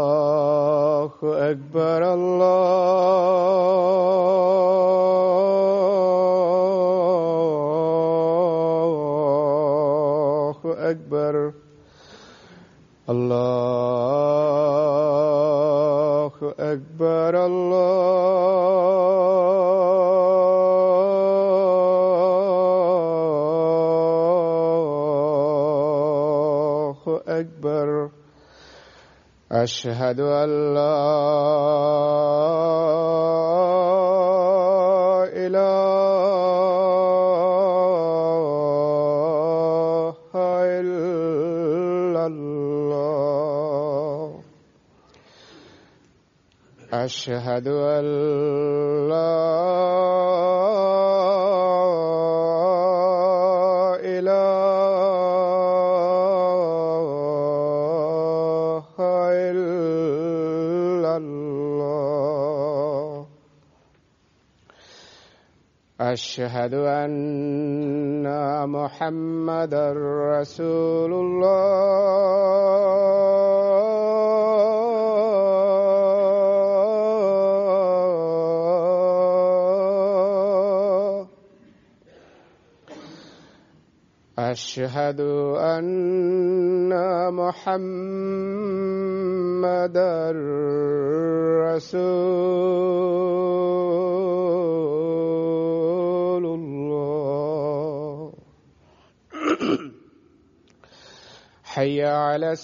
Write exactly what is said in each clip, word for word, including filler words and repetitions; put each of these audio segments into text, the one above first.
الله أكبر الله أكبر الله أكبر الله أكبر أشهد أن لا إله إلا الله أشهد أن لا أشهد أن محمدًا رسول الله أشهد أن محمدًا رسول الله حي على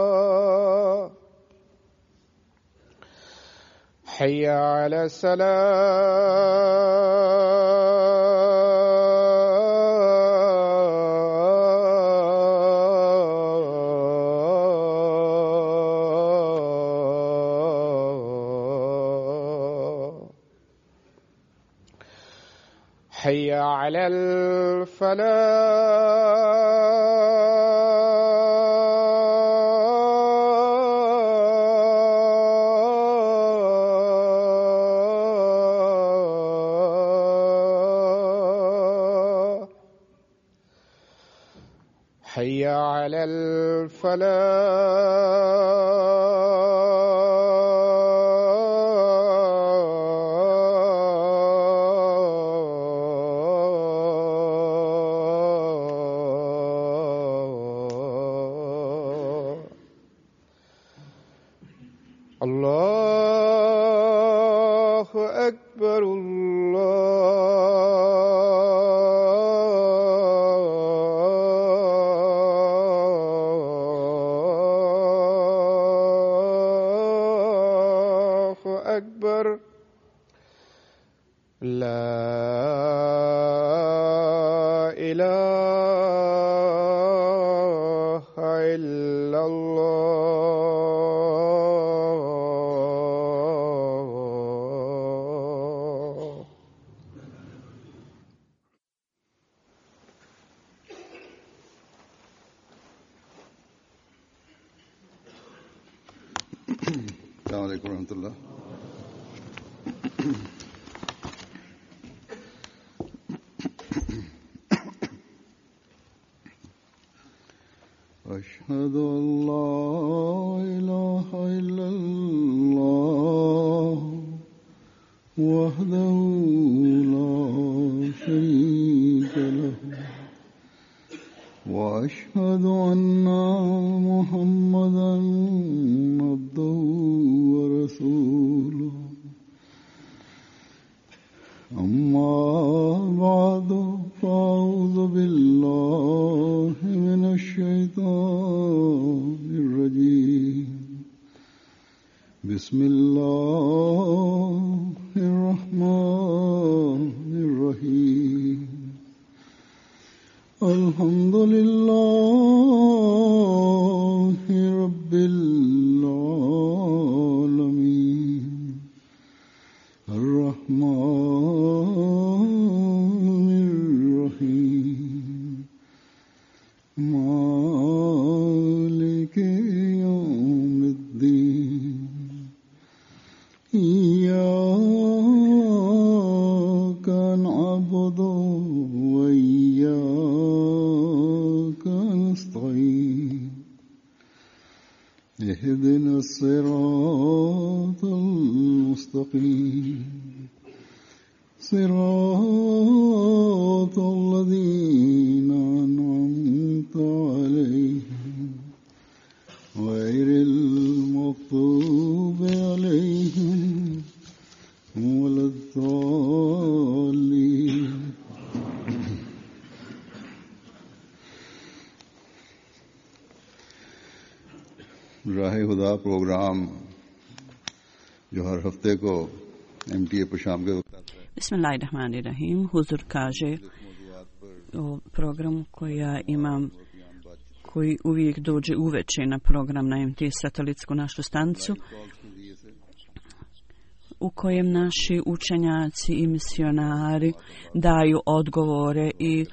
الصلاة حي على الصلاة حي على الفلاح حي على الفلاح الله أكبر الله أكبر لا إله إلا الله السلام عليكم ورحمة الله. أشهد أن لا إله إلا الله وحده لا شريك له وأشهد أن محمدًا عبده ورسوله أما بعد فأعوذ بالله من الشيطان الرجيم بسم الله الرحمن الرحيم الحمد لله رب العالمين الرحمن الرحيم اهدنا الصراط المستقيم صراط الذين أنعمت عليهم غير المغضوب عليهم ولا الضالين. राह खुदा प्रोग्राम जो हर हफ्ते को एम टी ए पर शाम के वक्त आता है. Bismillahirrahmanirrahim. Huzur kaže o programu koji ja imam, koji uvijek dođe uveče na program na em te e satelitsku našu stanicu, u kojem naši učenjaci i misionari daju odgovore i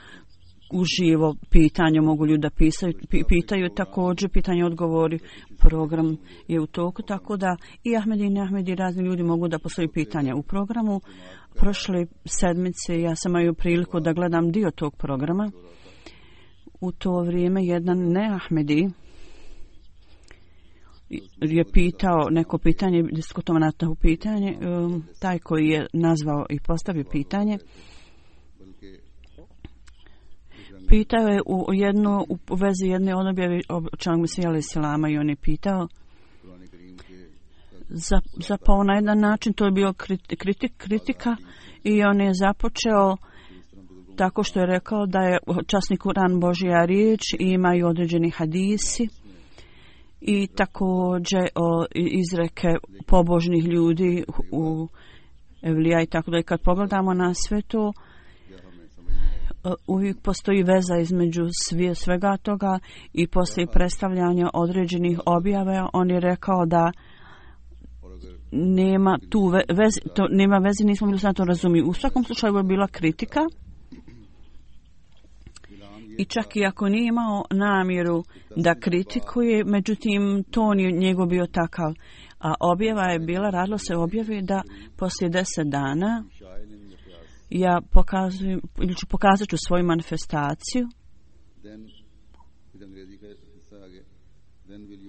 uživo pitanje mogu ljudi da pisaju, pitaju također pitanje odgovori. Program je u toku, tako da i Ahmedi i Ahmedi razni ljudi mogu da postoji pitanja u programu. Prošle sedmice ja sam imao priliku da gledam dio tog programa. U to vrijeme jedan ne Ahmedi je pitao neko pitanje, diskutovano na pitanje, taj koji je nazvao i postavio pitanje. Pitao je u jedno u vezi jedne objave o čemu Mesija alejhi selama i on je pitao za, zapao na jedan način, to je bio kritik, kritika i on je započeo tako što je rekao da je časni Kur'an Božja riječ i imaju određeni hadisi i također o izreke pobožnih ljudi u Evlija i tako da. I kad pogledamo na sve to, uvijek postoji veza između sve, svega toga i poslije predstavljanja određenih objava. On je rekao da nema tu veze, to nema veze, nismo bili na to razumiju. U svakom slučaju je bila kritika i čak i ako nije imao namjeru da kritikuje, međutim ton je njegov bio takav. A objava je bila, radilo se objavi da poslije deset dana ja pokazujem, ili ću pokazat ću svoju manifestaciju.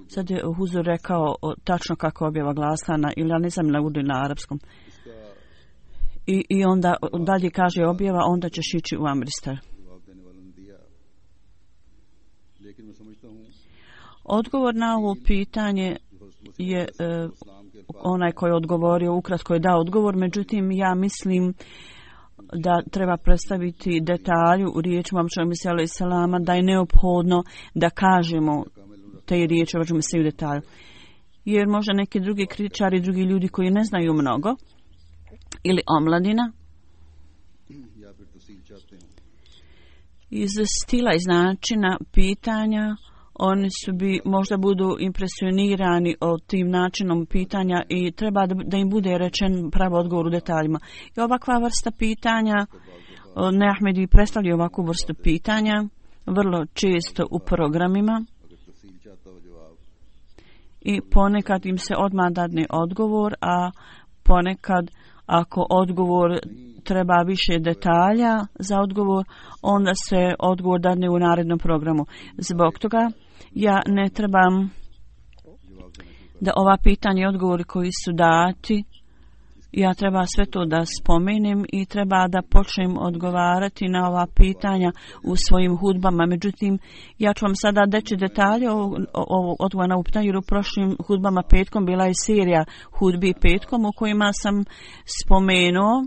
Sad je Huzur rekao o, tačno kako objava glasla na, ili ja ne znam na urdu ili na arapskom. I, I onda dalje kaže objava, onda ćeš ići u Amristar. Odgovor na ovo pitanje je e, onaj koji je odgovorio, ukratko je dao odgovor, međutim ja mislim da treba predstaviti detalju u riječima Mesija alejhi selama, da je neophodno da kažemo te riječi u detalju. Jer možda neki drugi kritičari, drugi ljudi koji ne znaju mnogo, ili omladina, iz stila, iz načina pitanja, oni su bi možda budu impresionirani od tim načinom pitanja i treba da, da im bude rečen pravi odgovor u detaljima. I ovakva vrsta pitanja, ne Ahmedi predstavlja ovakvu vrstu pitanja vrlo često u programima i ponekad im se odmah dadne odgovor, a ponekad ako odgovor treba više detalja za odgovor, onda se odgovor dadne u narednom programu. Zbog toga ja ne trebam da ova pitanja i odgovori koji su dati, ja treba sve to da spomenem i treba da počnem odgovarati na ova pitanja u svojim hudbama. Međutim, ja ću vam sada deći detalje o, o, o odgovor na ovo pitanje, jer u prošlim hudbama petkom bila je serija hudbi petkom u kojima sam spomenuo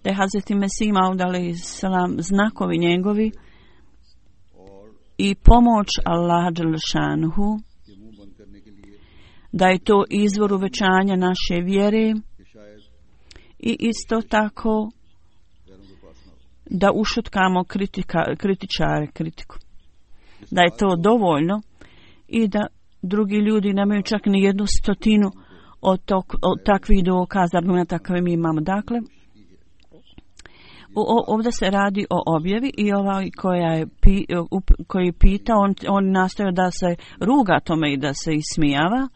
da je Hazreti Mesih Maud alejhi selam znakovi njegovi i pomoć Allaha dželešanuhu, da je to izvor uvećanja naše vjere i isto tako da ušutkamo kritika, kritičare, kritiku. Da je to dovoljno i da drugi ljudi nemaju čak ni jednu stotinu od, tok, od takvih dokaza, argumenta koje mi imamo. Dakle, o, ovdje se radi o objavi i ovaj koja je pi, koji pita, on, on nastoja da se ruga tome i da se ismijava.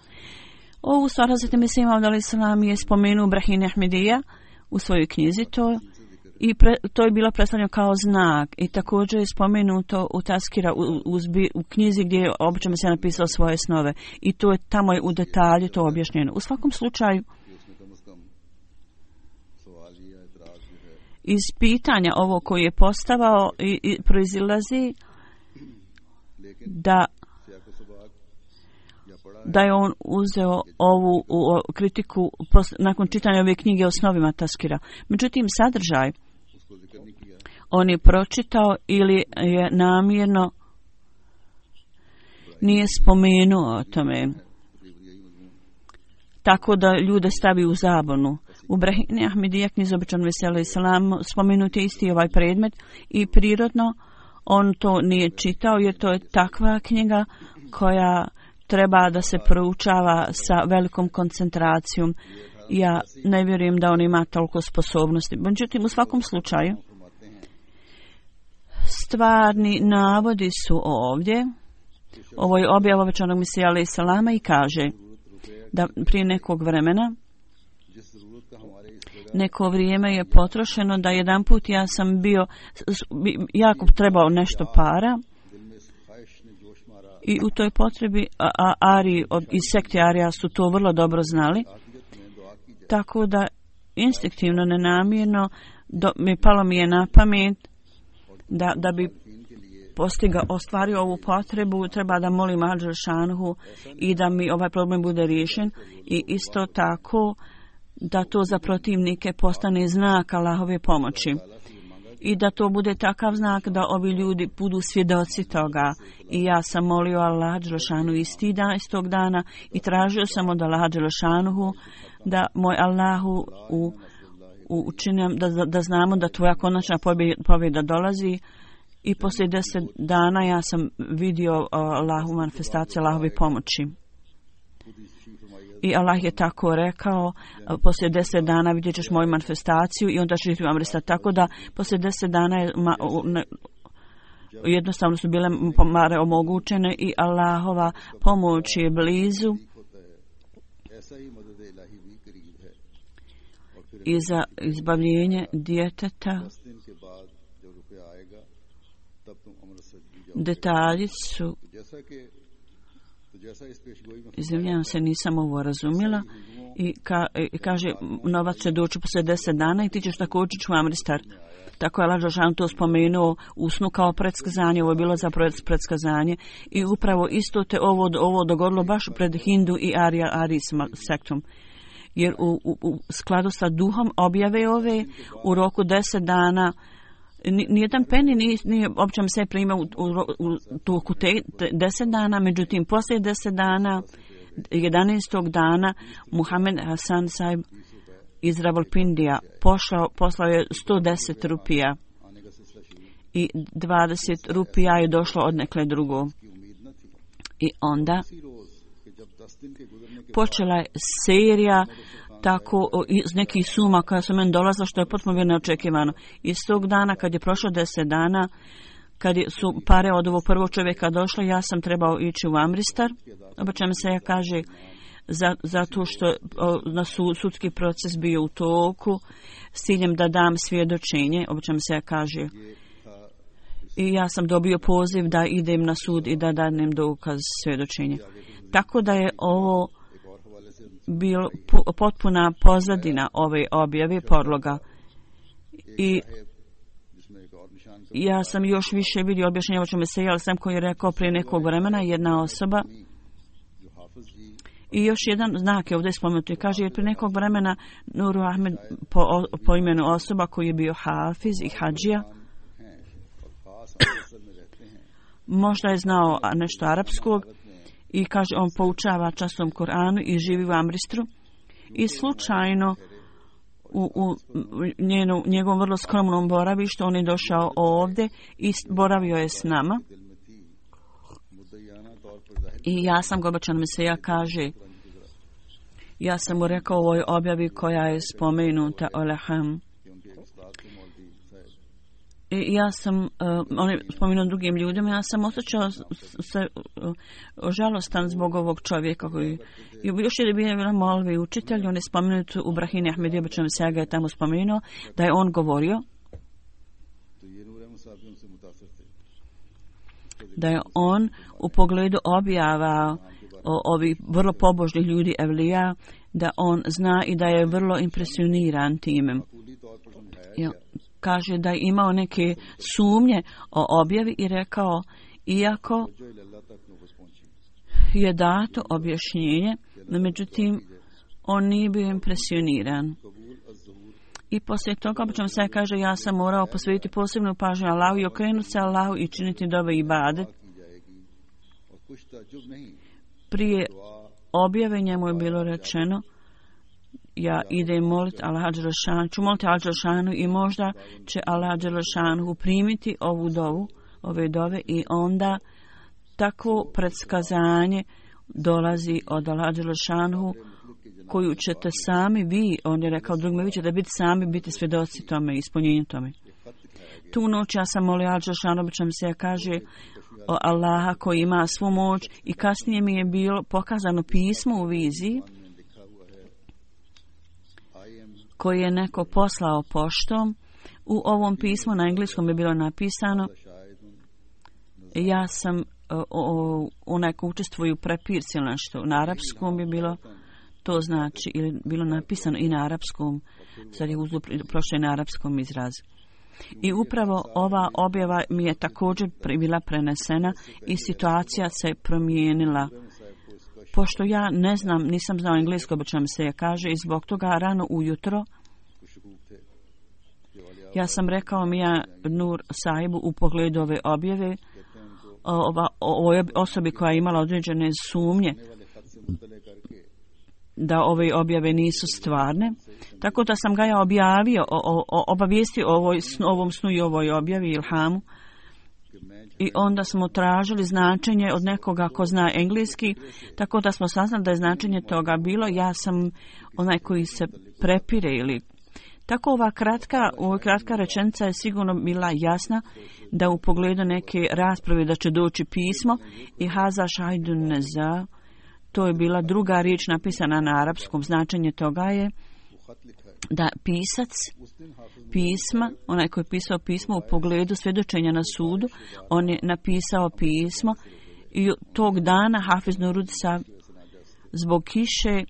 Ovu stvar Hazreti Mesih Maud alejhi selam je spomenuo Brahim Ahmedija u svojoj knjizi to i pre, to je bilo predstavljeno kao znak i također je spomenuto u Taskira u, u, u knjizi gdje je obično se napisao svoje snove i to je tamo je u detalju to objašnjeno. U svakom slučaju iz pitanja ovo koje je postavao i, i proizilazi da da je on uzeo ovu u, kritiku pos, nakon čitanja ove knjige o snovima Taskira. Međutim, sadržaj on je pročitao ili je namjerno nije spomenuo o tome. Tako da ljude stavi u zabunu. U Brahini Ahmedija knjizi običan veseli islam spomenut je isti ovaj predmet i prirodno on to nije čitao jer to je takva knjiga koja treba da se proučava sa velikom koncentracijom. Ja ne vjerujem da on ima toliko sposobnosti. Međutim, u svakom slučaju, stvarni navodi su ovdje. Ovo je objava obećanog Mesija alejhi selama i kaže da prije nekog vremena neko vrijeme je potrošeno da jedan put ja sam bio jako trebao nešto para i u toj potrebi a, a, Ari od, iz sekte Arija su to vrlo dobro znali, tako da instinktivno, nenamjerno do, mi palo mi je na pamet da, da bi postiga, ostvario ovu potrebu, treba da molim Al Đelšanhu i da mi ovaj problem bude riješen i isto tako da to za protivnike postane znak Allahove pomoći i da to bude takav znak da ovi ljudi budu svjedoci toga. I ja sam molio Allah Đelešanu isti dan, istog dana i tražio sam od Allah Đelešanuhu da moj Allahu u, u učinim, da, da znamo da tvoja konačna pobjeda dolazi. I poslije deset dana ja sam vidio Allahu manifestaciju Allahove pomoći. I Allah je tako rekao, poslije deset dana vidjet ćeš moju manifestaciju i onda ćeš živjeti u Amrista. Tako da poslije deset dana je ma, ne, jednostavno su bile pomare omogućene i Allahova pomoć je blizu. I za izbavljenje djeteta detalji su, izvinjavam se, nisam ovo razumjela, i, ka, i kaže novac će doći poslije deset dana i ti ćeš također u Amristar. Tako je Allah Đelešanu to spomenuo u snu kao predskazanje, ovo je bilo za predskazanje i upravo isto te ovo, ovo dogodilo baš pred Hindu i Arija Ari sektom. Jer u, u, u skladu sa duhom objave ove u roku deset dana nijedan peni nije, nije općem se primao u, u, u toku te, te deset dana, međutim poslije deset dana, jedanaestog dana, Muhammed Hasan Saib iz Rawalpindija pošao, poslao je sto deset rupija i dvadeset rupija je došlo od nekle drugo. I onda počela je serija tako iz nekih suma koja su meni dolazila, što je potpuno neočekivano. Iz tog dana kad je prošlo deset dana, kad su pare od ovog prvog čovjeka došle, ja sam trebao ići u Amristar. Obično se ja kaže za, zato što na sud, sudski proces bio u toku s ciljem da dam svjedočenje. Obično se ja kaže i ja sam dobio poziv da idem na sud i da danem dokaz svjedočenje. Tako da je ovo bilo potpuna pozadina ove objave podloga. I ja sam još više vidio objašnjenje o čemu se jel sam koji je rekao prije nekog vremena jedna osoba. I još jedan znak je ovdje spomenuti. Kaže, jer prije nekog vremena Nuru Ahmed po, po imenu osoba koji je bio hafiz i hadžija, možda je znao nešto arapskog, i kaže on poučava časom Koranu i živi u Amristru i slučajno u, u njenu, njegovom vrlo skromnom boravištu on je došao ovdje i boravio je s nama i ja sam Gobačan Meseja kaže ja sam mu rekao u ovoj objavi koja je spomenuta Oleham. I ja sam, uh, on je spomenuo drugim ljudima, ja sam osjećao se uh, žalostan zbog ovog čovjeka koji, još je bio molvi učitelj, on je spomenut u Brahini Ahmedija, obično se ga je tamo spomenuo, da je on govorio da je on u pogledu objava o, ovih vrlo pobožnih ljudi evlija, da on zna i da je vrlo impresioniran time. Ja, kaže da je imao neke sumnje o objavi i rekao, iako je dato objašnjenje, no međutim on nije bio impresioniran. I poslije toga, obično se kaže, ja sam morao posvetiti posebnu pažnju Allahu i okrenuti se Allahu i činiti dove i ibadet. Prije objave njemu je bilo rečeno, ja idem moliti Allaha Đelešanu, ću moliti Allaha Đelešanu i možda će Allaha Đelešanu primiti ovu dovu, ove dove i onda takvo predskazanje dolazi od Allaha Đelešanu koju ćete sami vi, on je rekao drugima, vi ćete biti sami, biti svjedoci tome, ispunjenju tome. Tu noć ja sam molio Allaha Đelešanu, obično mi se kaže o Allaha koji ima svu moć i kasnije mi je bilo pokazano pismo u viziji koje je neko poslao poštom. U ovom pismu na engleskom je bilo napisano, ja sam o, o, onaj ko učestvuju prepirci ili nešto. Na arapskom je bilo, to znači, ili bilo napisano i na arapskom, sad je uzdup, prošlo je na arapskom izrazu. I upravo ova objava mi je također bila prenesena i situacija se promijenila. Pošto ja ne znam, nisam znao englesko, obično mi se je kaže, i zbog toga rano ujutro ja sam rekao mi ja Nur Sahibu u pogledu ove objave, ova, ovoj osobi koja je imala određene sumnje da ove objave nisu stvarne. Tako da sam ga ja objavio, o, o, obavijestio o ovoj, ovom snu i ovoj objavi ilhamu. I onda smo tražili značenje od nekoga ko zna engleski, tako da smo saznali da je značenje toga bilo, ja sam onaj koji se prepire ili... Tako ova kratka, ova kratka rečenica je sigurno bila jasna da u pogledu neke rasprave da će doći pismo i haza šajdun neza, to je bila druga riječ napisana na arapskom, značenje toga je da pisac pisma, onaj koji je pisao pismo u pogledu svjedočenja na sudu, on je napisao pismo i tog dana Hafiz Nurud Sav zbog kiše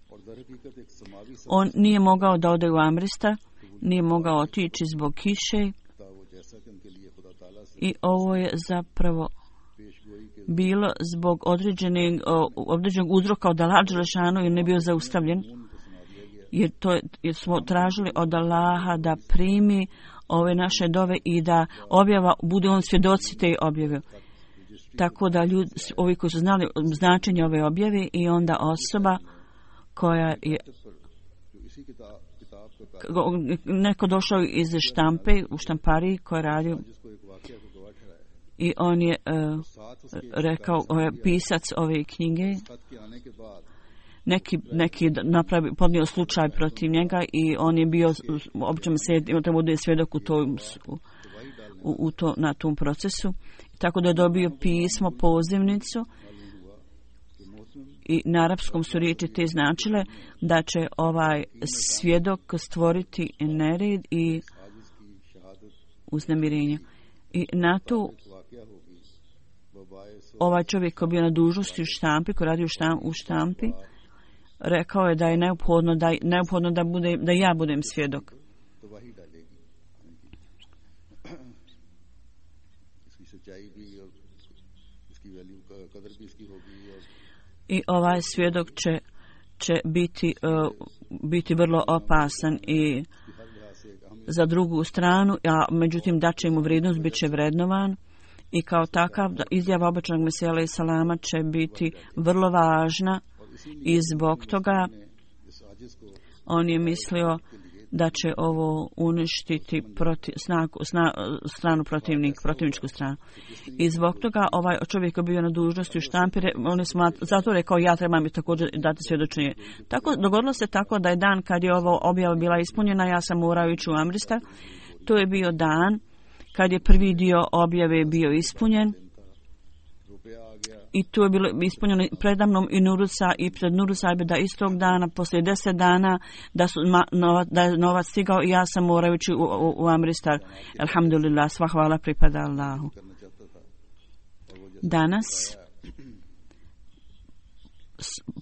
on nije mogao da ode u Amristar, nije mogao otići zbog kiše i ovo je zapravo bilo zbog određenog, određenog uzroka od Allaha Đelešanu i ne bio zaustavljen. Jer, to, jer smo tražili od Allaha da primi ove naše dove i da objava bude on svjedoci te objave. Tako da ljudi, ovi koji su znali značenje ove objave i onda osoba koja je neko došao iz štampe u štampariji koja radi i on je uh, rekao, ovaj pisac ove knjige neki, neki napravi, podnio slučaj protiv njega i on je bio, obično se treba bude svjedok u tom, u, u to, na tom procesu. Tako da je dobio pismo, pozivnicu i na arapskom su riječi te značile da će ovaj svjedok stvoriti nered i uznemirenje. I na to ovaj čovjek koji je bio na dužnosti u štampi, koji radi u, štam, u štampi, rekao je da je neophodno da, neophodno da, bude, da ja budem svjedok. I ovaj svjedok će, će biti, uh, biti vrlo opasan i za drugu stranu, a međutim da će mu vrijednost, bit će vrednovan i kao takav izjava običnog Mesija alejhi salama će biti vrlo važna i zbog toga on je mislio da će ovo uništiti protiv, snagu, sna, stranu protivnik, protivničku stranu. I zbog toga ovaj čovjek je bio na dužnosti u štampi, on je smat, zato rekao ja trebam i također dati svjedočenje. Tako, dogodilo se tako da je dan kad je ovo objava bila ispunjena, ja sam morao ići u Amristar. To je bio dan kad je prvi dio objave bio ispunjen. I tu je bilo ispunjeno predamnom i Nurusa i pred Nurusa da istog dana, poslije deset dana, da, su, ma, nova, da je novac stigao i ja sam morajući u, u, u Amristar. Alhamdulillah, sva hvala pripada Allahu. Danas,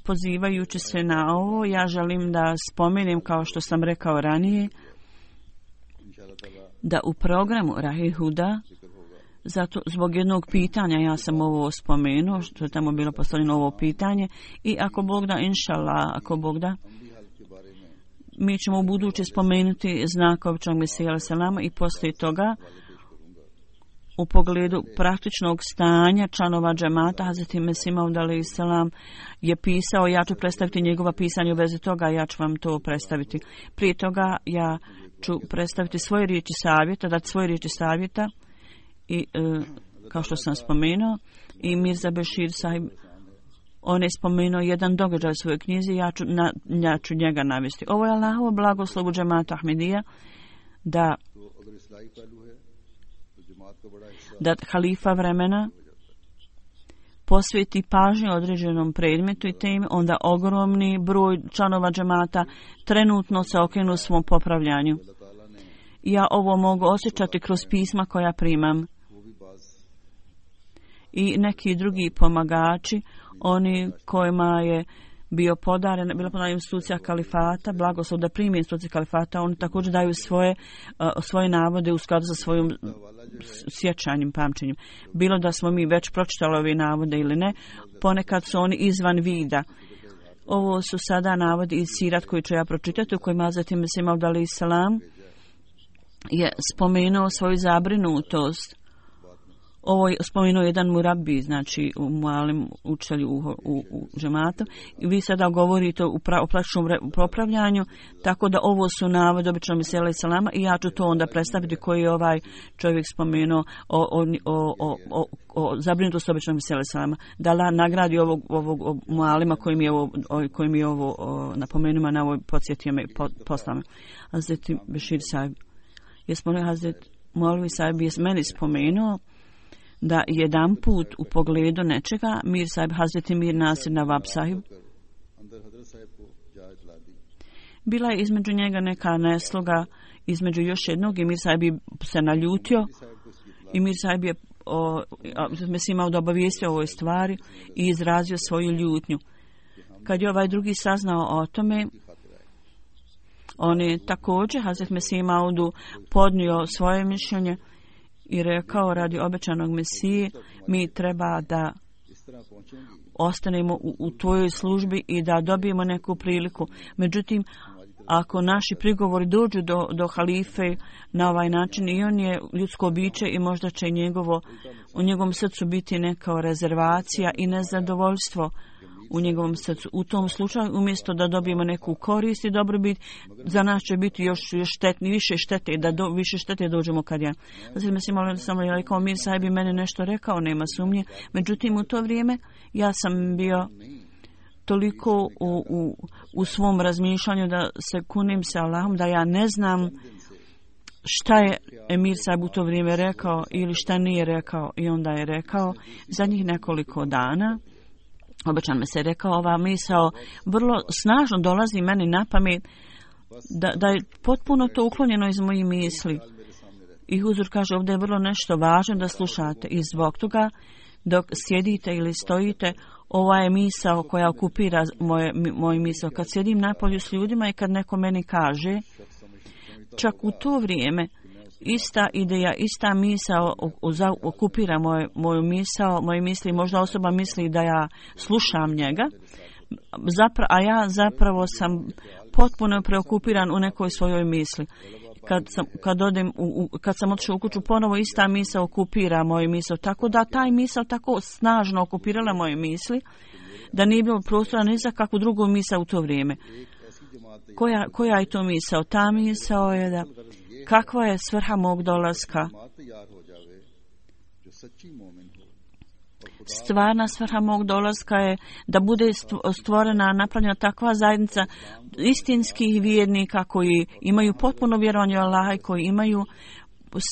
pozivajući se na ovo, ja želim da spomenem, kao što sam rekao ranije, da u programu Rahe Huda, zato zbog jednog pitanja ja sam ovo spomenuo, što je tamo bilo postavljeno ovo pitanje, i ako Bog da, inšallah, ako Bog da, mi ćemo u buduće spomenuti znak običnog Mesija alejhi selama, i poslije toga u pogledu praktičnog stanja članova džemata Hazreti Mesih Maud alejhi selam je pisao, ja ću predstaviti njegova pisanja u vezi toga, ja ću vam to predstaviti. Prije toga ja ću predstaviti svoje riječi savjeta, dati svoje riječi savjeta, i e, kao što sam spomenuo, i Mirza Bešir sahib, on je spomenuo jedan događaj u svojoj knjizi, ja ću, na, ja ću njega navesti. Ovo je Allahovo blagoslovu džemata Ahmedija, da da halifa vremena posveti pažnju određenom predmetu i temi, onda ogromni broj članova džemata trenutno se okrenu svom popravljanju. Ja ovo mogu osjećati kroz pisma koja primam. I neki drugi pomagači, oni kojima je bio podaren, bila podarena institucija kalifata, blagoslov da primi institucija kalifata, oni također daju svoje, uh, svoje navode u skladu sa svojim sjećanjem, pamćenjem. Bilo da smo mi već pročitali ove navode ili ne, ponekad su oni izvan vida. Ovo su sada navodi iz sirat koji ću ja pročitati, u kojima Hazreti Mesih Maud alejhi selam je spomenuo svoju zabrinutost. Ovo je spomenuo jedan murabbi, znači u malim učitelju u, u, u džematu. I vi sada govorite o praktičnom popravljanju, tako da ovo su navod običnog Mesija alejhi selama, i ja ću to onda predstaviti koji je ovaj čovjek spomenuo o, o, o, o, o, o zabrinutosti običnog Mesija alejhi selama. Da Allah nagradi ovog, ovog malima koji mi je ovo, koji mi je ovo napomenuo na ovoj podsjetio me poslame. Hazreti Bešir sahib je spomenuo, Hazreti Molvi sahib je meni spomenuo da jedan put u pogledu nečega Mir sahib, Hazreti Mir Nasir Nawab sahib, bila je između njega neka nesloga između još jednog, i Mir sahib se naljutio, i Mir sahib je Mesih Maud obavijestio o ovoj stvari i izrazio svoju ljutnju. Kad je ovaj drugi saznao o tome, on je također Hazreti Mesih Maudu podnio svoje mišljenje i rekao, radi obećanog Mesije, mi treba da ostanemo u, u tvojoj službi i da dobijemo neku priliku. Međutim, ako naši prigovori dođu do, do halife na ovaj način, i on je ljudsko biće i možda će njegovo, u njegovom srcu biti neka rezervacija i nezadovoljstvo u njegovom srcu. U tom slučaju, umjesto da dobijemo neku korist i dobrobit, za nas će biti još, još štetni, više štete, da do, više štete dođemo kad ja. Znači, mislim, ali sam je rekao, Mir sahib bi mene nešto rekao, nema sumnje. Međutim, u to vrijeme ja sam bio toliko u, u, u svom razmišljanju da se kunim se Allahom, da ja ne znam šta je Emir sahib u to vrijeme rekao ili šta nije rekao. I onda je rekao, zadnjih nekoliko dana, obično me se rekao, ova misao vrlo snažno dolazi meni na pamet, da, da je potpuno to uklonjeno iz mojih misli. I Huzur kaže, ovdje je vrlo nešto važno da slušate, i zbog toga dok sjedite ili stojite, ova je misao koja okupira moje, moj misao. Kad sjedim napolju s ljudima i kad neko meni kaže, čak u to vrijeme ista ideja, ista misao okupira moj, moju misao, moje misli, možda osoba misli da ja slušam njega, zapra, a ja zapravo sam potpuno preokupiran u nekoj svojoj misli. Kad sam, kad odem u, u, kad sam otišao u kuću, ponovo ista misao okupira moju misao, tako da taj misao tako snažno okupirala moje misli, da nije bilo prostora ni za kakvu drugu misao u to vrijeme. Koja, koja je to misao? Ta misao je da kakva je svrha mog dolaska? Stvarna svrha mog dolaska je da bude stvorena, napravljena takva zajednica istinskih vjernika koji imaju potpuno vjerovanje u Allaha i koji imaju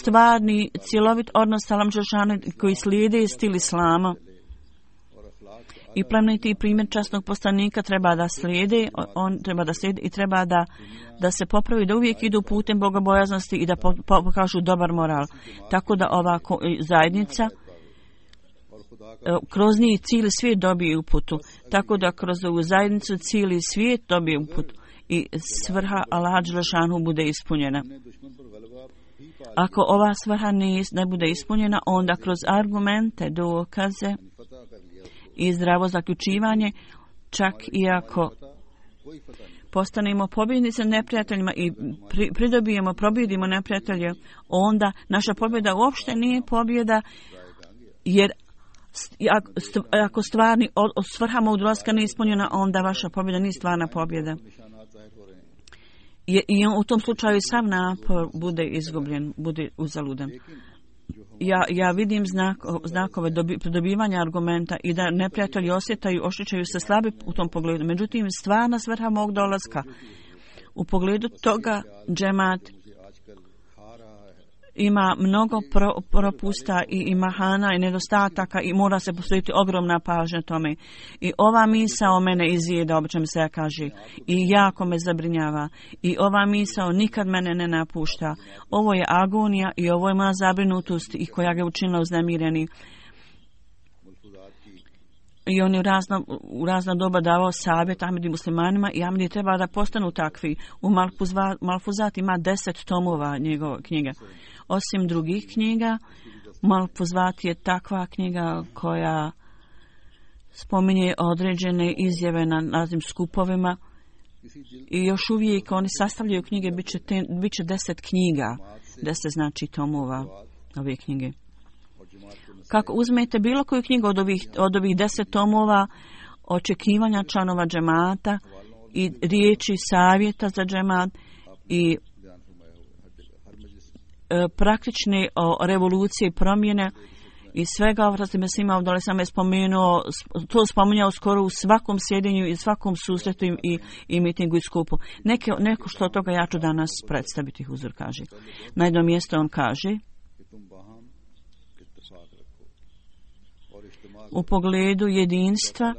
stvarni, cjelovit odnos sa Allahom dželešanu, koji slijede stil islama. I plemeniti primjer časnog poslanika treba da slijede, on treba da slijede i treba da, da se popravi, da uvijek idu putem bogobojaznosti i da pokažu dobar moral. Tako da ova zajednica kroz njih cijeli svijet dobije uputu, tako da kroz ovu zajednicu cijeli svijet dobije uputu i svrha Allaha dželešanu bude ispunjena. Ako ova svrha ne, ne bude ispunjena, onda kroz argumente, dokaze i zdravo zaključivanje, čak i ako postanemo pobjednici neprijateljima i pri, pridobijemo, probjedimo neprijatelje, onda naša pobjeda uopšte nije pobjeda, jer ako stvarni svrha mog dolaska nije ispunjena, onda vaša pobjeda nije stvarna pobjeda. I, i u tom slučaju sav napor bude izgubljen, bude uzaludan. Ja, ja vidim znak, znakove dobi, pridobivanja argumenta i da neprijatelji osjetaju, osjećaju se slabi u tom pogledu. Međutim, stvarna svrha mog dolaska u pogledu toga džemat ima mnogo pro, propusta i, i mahana i nedostataka i mora se posvetiti ogromna pažnja tome. I ova misao mene izjeda, obično mi se ja kaže, i jako me zabrinjava. I ova misao nikad mene ne napušta. Ovo je agonija i ovo je moja zabrinutost i koja ga učinila uznemireni. I on je u razna, u razna doba davao savjet Ahmedi muslimanima i Ahmedi treba da postanu takvi. U Malfuzat, Malfuzat ima deset tomova njegove knjige. Osim drugih knjiga, Malfuzat je takva knjiga koja spominje određene izjave na raznim skupovima i još uvijek oni sastavljaju knjige, bit će, te, bit će deset knjiga, deset znači tomova ove knjige. Kako uzmete bilo koju knjigu od ovih, od ovih deset tomova, očekivanja članova džemata i riječi savjeta za džemat i e, praktične o, revolucije i promjene i svega ovo što me svima ovdje sam je spomenuo, to spominjao skoro u svakom sjedinju i svakom susretu i, i mitingu i skupu. Neke, neko što od toga ja ću danas predstaviti, Huzur kaže. Na jednom mjestu on kaže: u pogledu jedinstva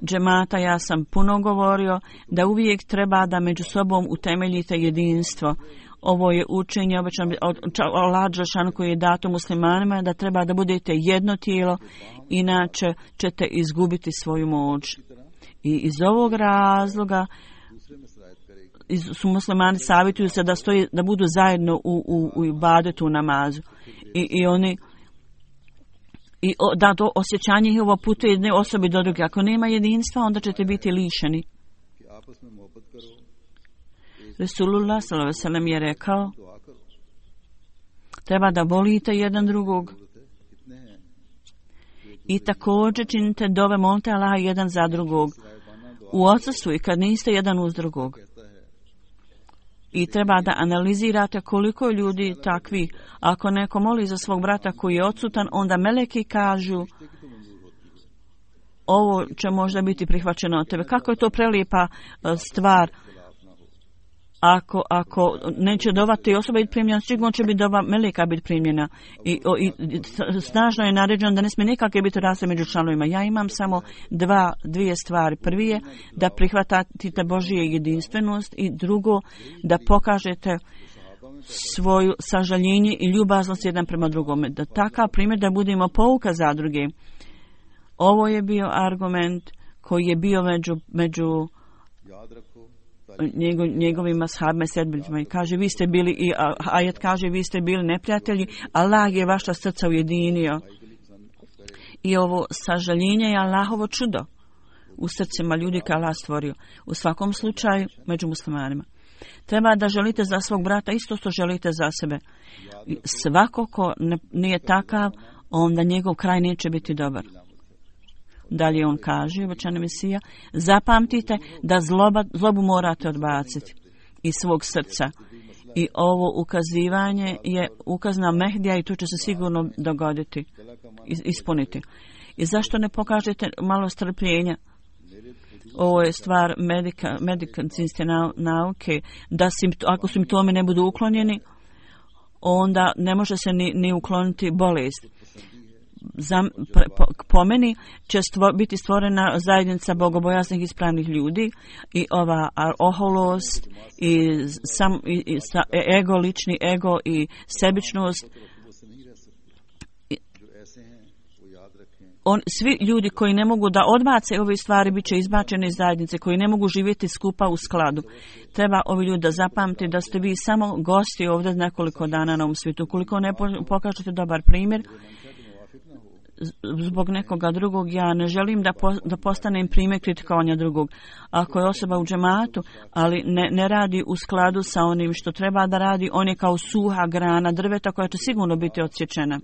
džemata ja sam puno govorio da uvijek treba da među sobom utemeljite jedinstvo. Ovo je učenje obično od Allaha dželešanu koji je dato muslimanima da treba da budete jedno tijelo, inače ćete izgubiti svoju moć. I iz ovog razloga su muslimani savjetuju se da stoji, da budu zajedno u, u, u ibadetu, u namazu. I, i oni I da to osjećanje njihovo putuje jedne osobe do druge. Ako nema jedinstva, onda ćete biti lišeni. Resulullah sallallahu alejhi ve sellem je rekao: treba da volite jedan drugog. I također činite dove, molite Allaha jedan za drugog. U odsustvu i kad niste jedan uz drugog. I treba da analizirate koliko je ljudi takvi. Ako neko moli za svog brata koji je odsutan, onda meleki kažu: ovo će možda biti prihvaćeno od tebe. Kako je to prelijepa stvar. Ako, ako neće dova te osobe biti primljena, sigurno će biti dova meleka biti primljena. I, o, i snažno je naređeno da ne smije nikakve biti razlike među članovima. Ja imam samo dva, dvije stvari. Prvi je da prihvatite Božije jedinstvenost i drugo da pokažete svoju sažaljenje i ljubaznost jedan prema drugome. Da takav primjer da budemo pouka za druge. Ovo je bio argument koji je bio među, među Njego, njegovima sahabima i sedbenicima i kaže vi ste bili i ajet kaže vi ste bili neprijatelji, Allah je vaša srca ujedinio. I ovo sažaljenje je Allahovo čudo u srcima ljudi koje Allah stvorio. U svakom slučaju među muslimanima treba da želite za svog brata isto što želite za sebe. Svako ko ne, nije takav, onda njegov kraj neće biti dobar. Dalje on kaže, obećani Mesija, zapamtite da zloba, zlobu morate odbaciti iz svog srca. I ovo ukazivanje je ukaz na Mehdija i to će se sigurno dogoditi, ispuniti. I zašto ne pokažete malo strpljenja? Ovo je stvar medika, medicinske nauke, da simpto, ako simptomi ne budu uklonjeni, onda ne može se ni, ni ukloniti bolest. Za, po, po meni će stvo, biti stvorena zajednica bogobojaznih ispravnih ljudi i ova oholost i, sam, i, i sa, ego, lični ego i sebičnost. I, On, svi ljudi koji ne mogu da odbace ove stvari bit će izbačeni iz zajednice, koji ne mogu živjeti skupa u skladu. Treba ovi ljudi da zapamti da ste vi samo gosti ovdje nekoliko dana na ovom svijetu. Koliko ne pokažete dobar primjer zbog nekoga drugog, ja ne želim da, po, da postanem primjer kritikovanja drugog. Ako je osoba u džematu, ali ne, ne radi u skladu sa onim što treba da radi, on je kao suha grana drveta koja će sigurno biti odsječena.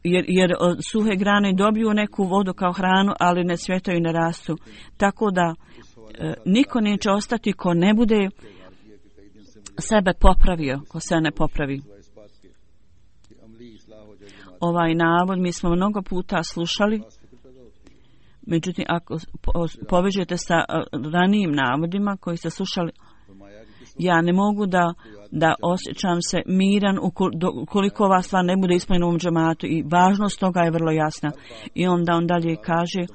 Jer, jer suhe grane dobiju neku vodu kao hranu, ali ne cvjetaju i ne rastu. Tako da e, niko neće ostati ko ne bude sebe popravio, ko se ne popravi. Ovaj navod mi smo mnogo puta slušali, međutim ako povežete sa ranijim navodima koji ste slušali, ja ne mogu da, da osjećam se miran ukoliko ova stvar ne bude ispunjena u ovom džematu i važnost toga je vrlo jasna. I onda on dalje kaže,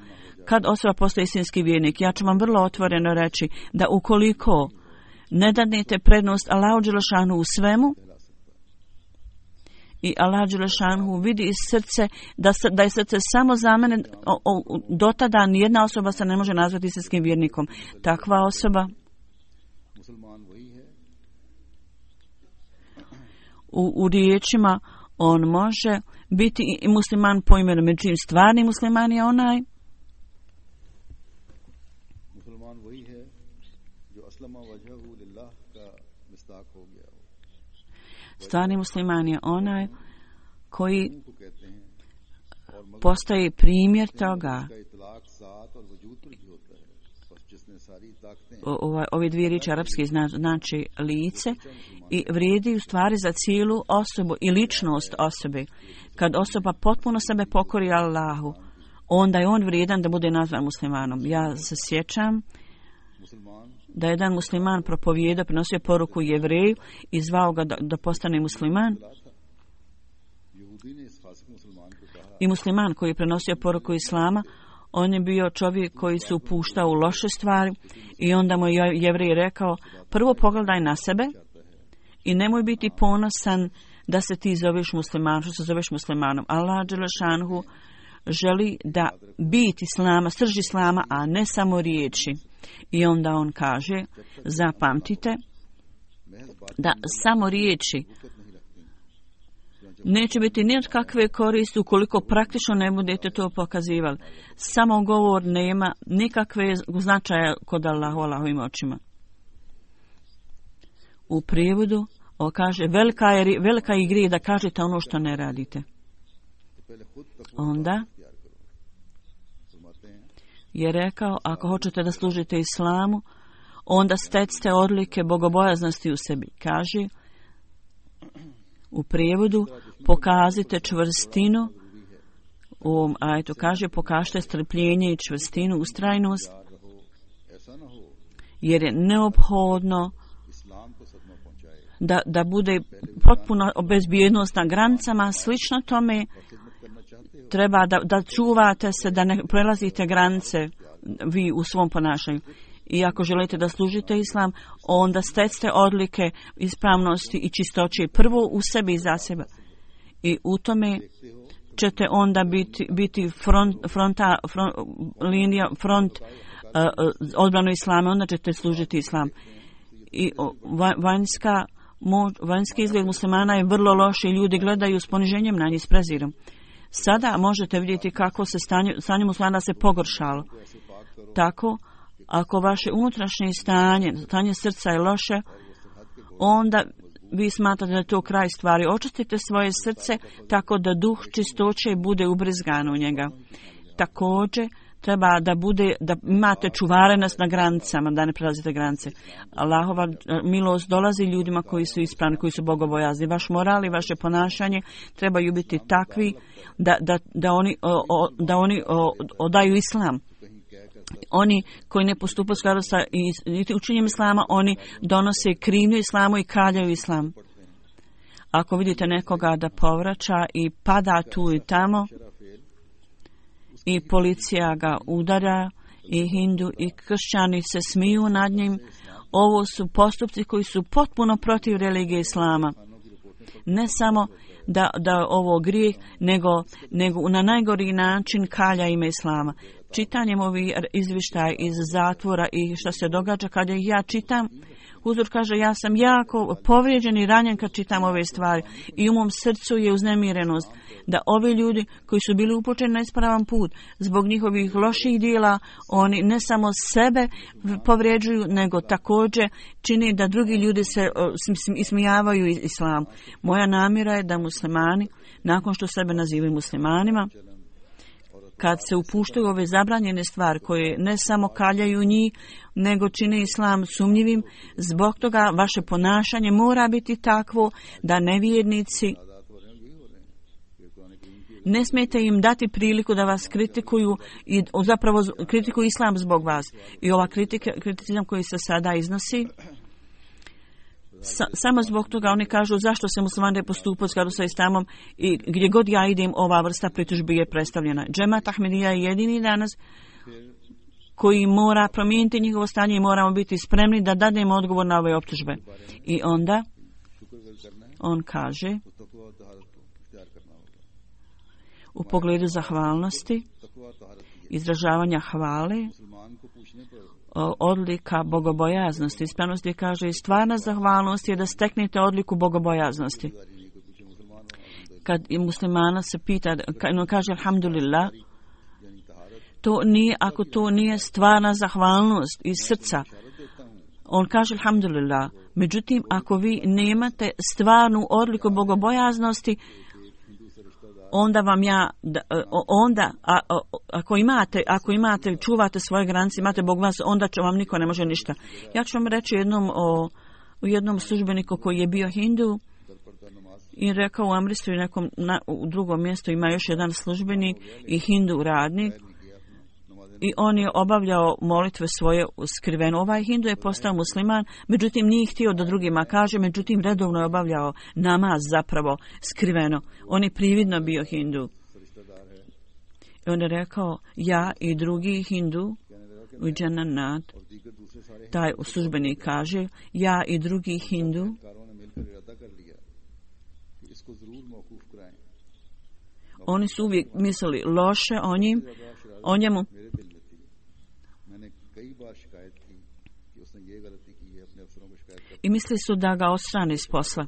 kad osoba postaje istinski vjernik, ja ću vam vrlo otvoreno reći da ukoliko ne dadnete prednost Allahu dželešanu u svemu i Allah dželešanu vidi iz srce da, da je srce samo za mene, o, o, do tada nijedna osoba se ne može nazvati istinskim vjernikom. Takva osoba u, u riječima on može biti i musliman po imenu, međutim stvarni musliman je onaj stvarni musliman je onaj koji postaje primjer toga. O, ove dvije riječi arapski znači lice i vrijedi u stvari za cijelu osobu i ličnost osobe. Kad osoba potpuno sebe pokori Allahu, onda je on vrijedan da bude nazvan muslimanom. Ja se sjećam da jedan musliman propovijedao, prenosio poruku Jevreju i zvao ga da, da postane musliman. I musliman koji je prenosio poruku Islama, on je bio čovjek koji se upuštao u loše stvari i onda mu je Jevrej rekao, prvo pogledaj na sebe i nemoj biti ponosan da se ti zoveš musliman, što se zoveš muslimanom. Allah dželešanhu želi da bit Islama, srž Islama, a ne samo riječi. I onda on kaže, zapamtite da samo riječi neće biti ni od kakve koristi ukoliko praktično ne budete to pokazivali. Samo govor nema nikakve značaja kod Allahu, Allahovim očima. U prijevodu on kaže, velika je, velika je grije da kažete ono što ne radite. Onda je rekao, ako hoćete da služite Islamu, onda stecite odlike bogobojaznosti u sebi. Kaže, u prijevodu, pokažite čvrstinu, u ovom ajetu kaže, pokažite strpljenje i čvrstinu, ustrajnost, jer je neophodno da, da bude potpuno bezbjednost na granicama, slično tome, treba da, da čuvate se, da ne prelazite granice vi u svom ponašanju. I ako želite da služite Islam, onda stecite odlike ispravnosti i čistoće prvo u sebi i za sebe. I u tome ćete onda biti, biti front, fronta, front, linija, front uh, odbranu Islama, onda ćete služiti Islam. I vanjska, vanjski izgled muslimana je vrlo loš i ljudi gledaju s poniženjem na njih, s prezirom. Sada možete vidjeti kako se stanje, stanje muslimana se pogoršalo. Tako, ako vaše unutrašnje stanje, stanje srca je loše, onda vi smatrate da je to kraj stvari. Očistite svoje srce tako da duh čistoće bude ubrizgan u njega. Također, treba da bude, da imate čuvarenost na granicama, da ne prelazite granice. Allahova milost dolazi ljudima koji su ispravni, koji su bogobojazni. Vaš moral i vaše ponašanje trebaju biti takvi da, da, da oni, o, o, da oni o, odaju Islam. Oni koji ne postupaju skladu sa učenjem Islama, oni donose krivnju Islamu i kaljaju Islam. Ako vidite nekoga da povraća i pada tu i tamo, i policija ga udara, i hindu i kršćani se smiju nad njim, ovo su postupci koji su potpuno protiv religije Islama. ne samo da, da ovo grijeh, nego, nego na najgori način kalja ime Islama. Čitanjem ovih izvještaja iz zatvora i što se događa kada ih ja čitam, Huzur kaže, ja sam jako povrijeđen i ranjen kad čitam ove stvari i u mom srcu je uznemirenost da ovi ljudi koji su bili upućeni na ispravan put zbog njihovih loših dijela, oni ne samo sebe povrijeđuju, nego također čini da drugi ljudi se ismijavaju islam. Moja namjera je da muslimani, nakon što sebe nazivaju muslimanima, kad se upuštaju ove zabranjene stvari koje ne samo kaljaju njih, nego čine islam sumnjivim, zbog toga vaše ponašanje mora biti takvo da nevjernici ne smijete im dati priliku da vas kritikuju i zapravo kritikuju islam zbog vas. I ova kritika, kriticizam koji se sada iznosi, Sa, samo zbog toga oni kažu zašto se muslimani ne postupaju u skladu sa islamom i gdje god ja idem ova vrsta pritužbi je predstavljena. Džemat Ahmedija je jedini danas koji mora promijeniti njihovo stanje i moramo biti spremni da dademo odgovor na ove optužbe. I onda on kaže u pogledu zahvalnosti, izražavanja hvale, odlika bogobojaznosti. Ispravnosti kaže i stvarna zahvalnost je da steknete odliku bogobojaznosti. Kad i muslimana se pita, no kaže alhamdulillah, to nije, ako to nije stvarna zahvalnost iz srca, on kaže alhamdulillah. Međutim, ako vi nemate stvarnu odliku bogobojaznosti, onda vam ja, onda, a, a, ako imate, ako imate, čuvate svoje granice, imate Bog vas, onda će vam niko ne može ništa. Ja ću vam reći jednom o, o jednom službeniku koji je bio hindu i rekao u Amritsari nekom, na, u drugom mjestu ima još jedan službenik i hindu radnik i on je obavljao molitve svoje skriveno. Ovaj hindu je postao musliman, međutim nije htio da drugima kaže, međutim redovno je obavljao namaz zapravo skriveno. On je prividno bio hindu. I on je rekao, ja i drugi hindu u Džananat, taj službenik kaže, ja i drugi hindu oni su uvijek mislili loše o njim, o njemu. I misli su da ga odstrane iz posla.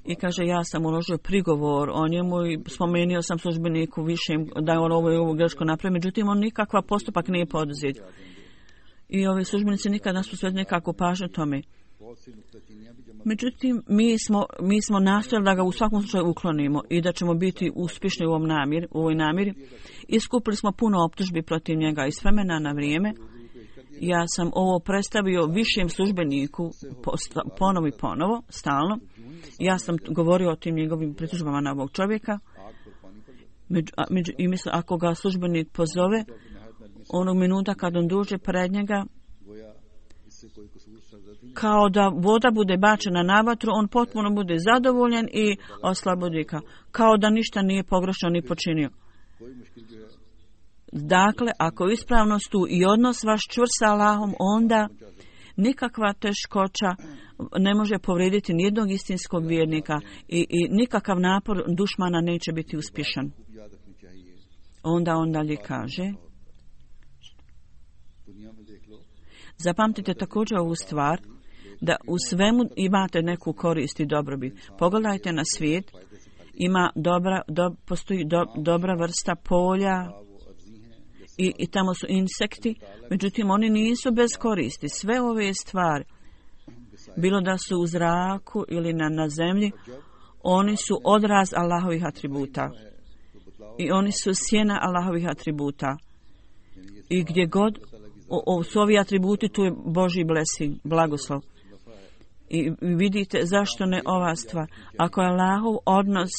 I kaže, ja sam uložio prigovor o njemu i spomenuo sam službeniku više da je on ovo i ovo greško napravio, međutim on nikakva postupak nije poduzet. I ovi službenici nikad nas posvetili nekako pažnju tome. Međutim, mi smo, mi smo nastojali da ga u svakom slučaju uklonimo i da ćemo biti uspješni u, ovom namir, u ovoj namjeri. Iskupili smo puno optužbi protiv njega iz vremena na vrijeme. Ja sam ovo predstavio višem službeniku ponovo i ponovo, stalno. Ja sam govorio o tim njegovim pritužbama na ovog čovjeka. Među, a, među, I mislim, ako ga službenik pozove, onog minuta kad on dođe pred njega, kao da voda bude bačena na vatru, on potpuno bude zadovoljen i oslobodi ga. Kao da ništa nije pogrešno ni počinio. Dakle, ako ispravnost tu i odnos vaš čvrst sa Allahom, onda nikakva teškoća ne može povrediti nijednog istinskog vjernika i, i nikakav napor dušmana neće biti uspješan. Onda on dalje kaže, zapamtite također ovu stvar, da u svemu imate neku korist i dobrobit. Pogledajte na svijet, ima dobra, do, postoji do, dobra vrsta polja, I, i tamo su insekti, međutim oni nisu bez koristi. Sve ove stvari, bilo da su u zraku ili na, na zemlji, oni su odraz Allahovih atributa. I oni su sjena Allahovih atributa. I gdje god o, o, su ovi atributi, tu je Božji blessing, blagoslov. I vidite zašto ne ova stvar. Ako je Allahov odnos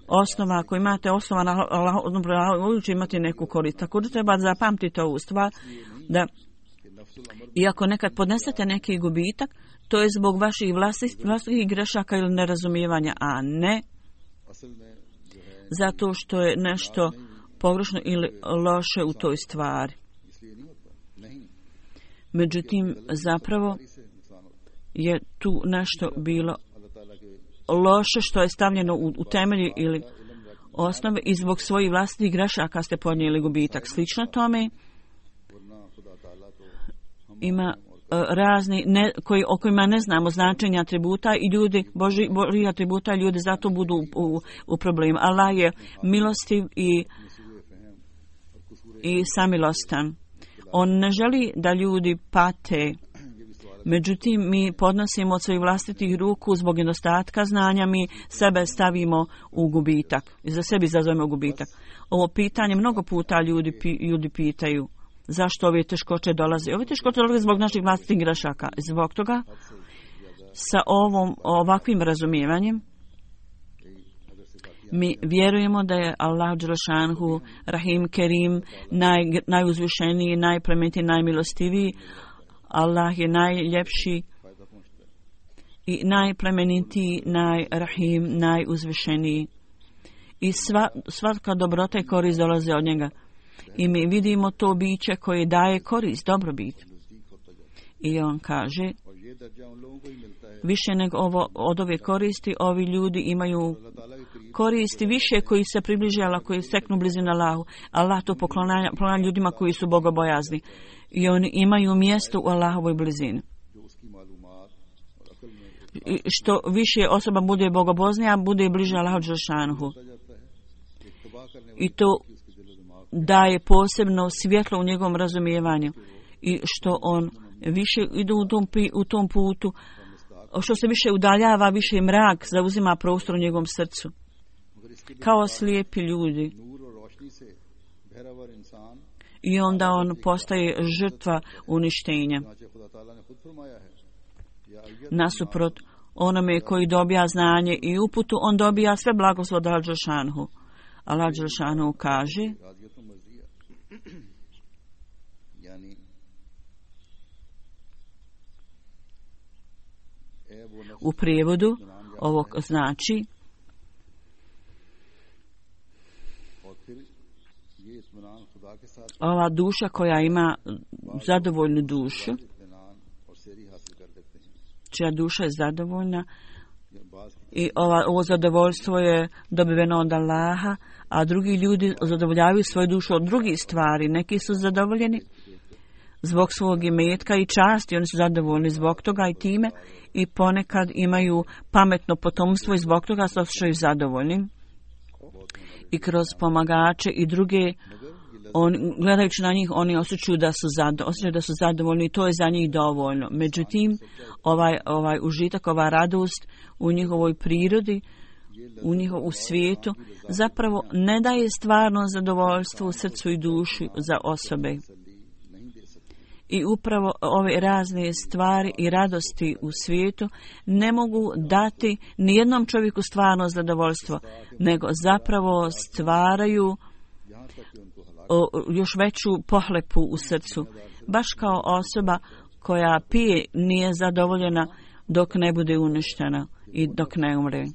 osnova, ako imate osnova na Allahov, uvijek imate neku korist. Također treba zapamtiti ovu stvar, da iako nekad podnesete neki gubitak, to je zbog vaših vlastitih, vlastitih grešaka ili nerazumijevanja, a ne zato što je nešto pogrešno ili loše u toj stvari. Međutim, zapravo je tu nešto bilo loše što je stavljeno u, u temelji ili osnove i zbog svojih vlastitih grešaka ste podnijeli gubitak. Slično tome ima razni ne, koji, o kojima ne znamo značenja atributa i ljudi, Boži, Boži atributa, ljudi zato budu u, u problemu. Allah je milostiv i, i samilostan. On ne želi da ljudi pate. Međutim, mi podnosimo od svojih vlastitih ruku zbog nedostatka znanja, mi sebe stavimo u gubitak. I za sebi izazovemo gubitak. Ovo pitanje mnogo puta ljudi, ljudi pitaju. Zašto ove teškoće dolaze? Ove teškoće dolaze zbog naših vlastitih grešaka. Zbog toga, sa ovom, ovakvim razumijevanjem, mi vjerujemo da je Allah dželešanhu, Rahim, Kerim, naj, najuzvišeniji, najplemenitiji, najmilostiviji. Allah je najljepši i najplemenitiji, najrahim, najuzvišeniji. I sva, svaka dobrota i korist dolaze od njega. I mi vidimo to biće koje daje korist, dobrobit. I on kaže, više nego ovo, od ove koristi, ovi ljudi imaju koristi više koji se približe Allah, koji steknu blizinu Allahu. Allah to poklanja, poklanja ljudima koji su bogobojazni. I oni imaju mjesto u Allahovoj blizini. I što više osoba bude bogoboznija, bude bliže Allahu dželešanhu. I to daje posebno svjetlo u njegovom razumijevanju. I što on više ide u tom, u tom putu, što se više udaljava, više mrak zauzima prostor u njegovom srcu. Kao slijepi ljudi. I onda on postaje žrtva uništenja. Nasuprot onome koji dobija znanje i uputu, on dobija sve blagoslov od Allah dželešanhu. Allah dželešanhu kaže u prijevodu ovog znači ova duša koja ima zadovoljnu dušu, čija duša je zadovoljna i ova, ovo zadovoljstvo je dobiveno od Allaha, a drugi ljudi zadovoljavaju svoju dušu od drugih stvari. Neki su zadovoljeni zbog svog imetka i časti, oni su zadovoljni zbog toga i time i ponekad imaju pametno potomstvo i zbog toga se osjećaju zadovoljni. I kroz pomagače i druge, on, gledajući na njih, oni osjećaju da su, zado, osjećaju da su zadovoljni i to je za njih dovoljno. Međutim, ovaj, ovaj užitak, ova radost u njihovoj prirodi, u njihovu svijetu, zapravo ne daje stvarno zadovoljstvo u srcu i duši za osobe. I upravo ove razne stvari i radosti u svijetu ne mogu dati nijednom čovjeku stvarno zadovoljstvo, nego zapravo stvaraju o, još veću pohlepu u srcu. Baš kao osoba koja pije nije zadovoljena dok ne bude uništena i dok ne umre.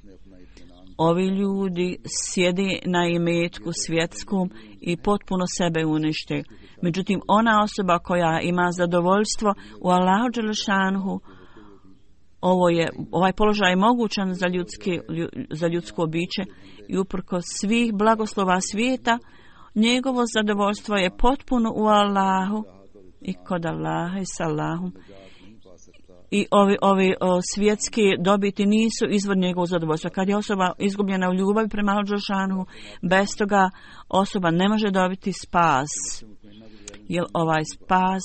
Ovi ljudi sjede na imetku svjetskom i potpuno sebe unište. Međutim, ona osoba koja ima zadovoljstvo u Allahu dželešanhu, ovo je, ovaj položaj je mogućan za, ljudski, za ljudsko biće i uprkos svih blagoslova svijeta, njegovo zadovoljstvo je potpuno u Allahu i kod Allaha i s Allahom. I ovi, ovi o, svjetski dobiti nisu izvor njegovog zadovoljstva. Kad je osoba izgubljena u ljubavi prema Allahu dželešanhu, bez toga osoba ne može dobiti spas. Jer ovaj spas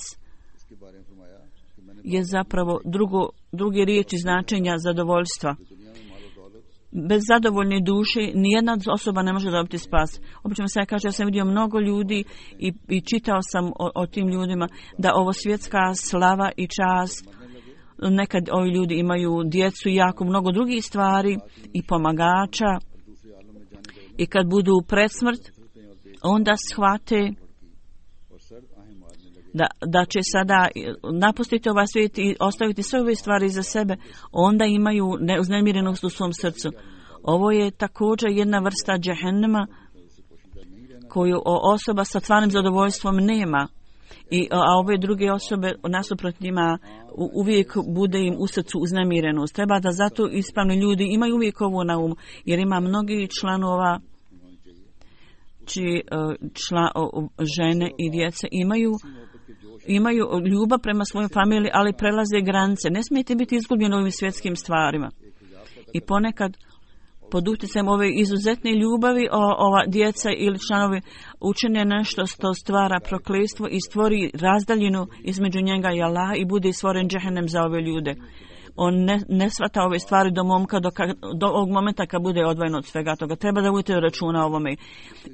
je zapravo drugo, druge riječi značenja zadovoljstva. Bez zadovoljne duše nijedna osoba ne može dobiti spas. Obično se kaže, ja sam vidio mnogo ljudi i, i čitao sam o, o tim ljudima da ovo svjetska slava i čast, nekad ovi ljudi imaju djecu i jako mnogo drugih stvari i pomagača i kad budu pred smrt, onda shvate da, da će sada napustiti ovaj svijet i ostaviti sve ove stvari za sebe, onda imaju uznemirenost u svom srcu. Ovo je također jedna vrsta džehennema koju osoba sa stvarnim zadovoljstvom nema. I, a ove druge osobe nasuprot njima uvijek bude im u srcu uznemirenost. Treba da zato ispravni ljudi imaju uvijek ovo na umu, jer ima mnogi članova čiji čla, žene i djece imaju imaju ljubav prema svojoj familiji, ali prelaze granice. Ne smijete biti izgubljeni ovim svjetskim stvarima. I ponekad pod utjecajem ove izuzetne ljubavi o, ova djeca ili članovi učine nešto što stvara prokletstvo i stvori razdaljinu između njega i Allaha i bude stvoren džehennem za ove ljude. On ne, ne shvata ove stvari do momka, do, ka, do ovog momenta kad bude odvojen od svega toga. Treba da budete računa o ovome.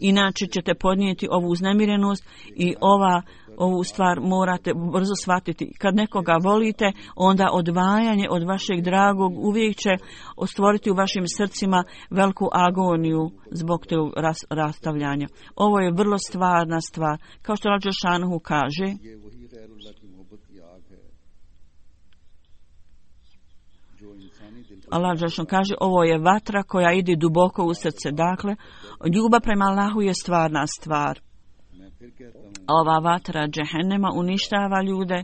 Inače ćete podnijeti ovu uznemirenost i ova ovu stvar morate brzo shvatiti. Kad nekoga volite, onda odvajanje od vašeg dragog uvijek će stvoriti u vašim srcima veliku agoniju zbog tog ras, rastavljanja. Ovo je vrlo stvarna stvar. Kao što Allah dželešanohu kaže, Allah dželešanohu kaže, ovo je vatra koja ide duboko u srce. Dakle, ljubav prema Allahu je stvarna stvar. Ova vatra džehennema uništava ljude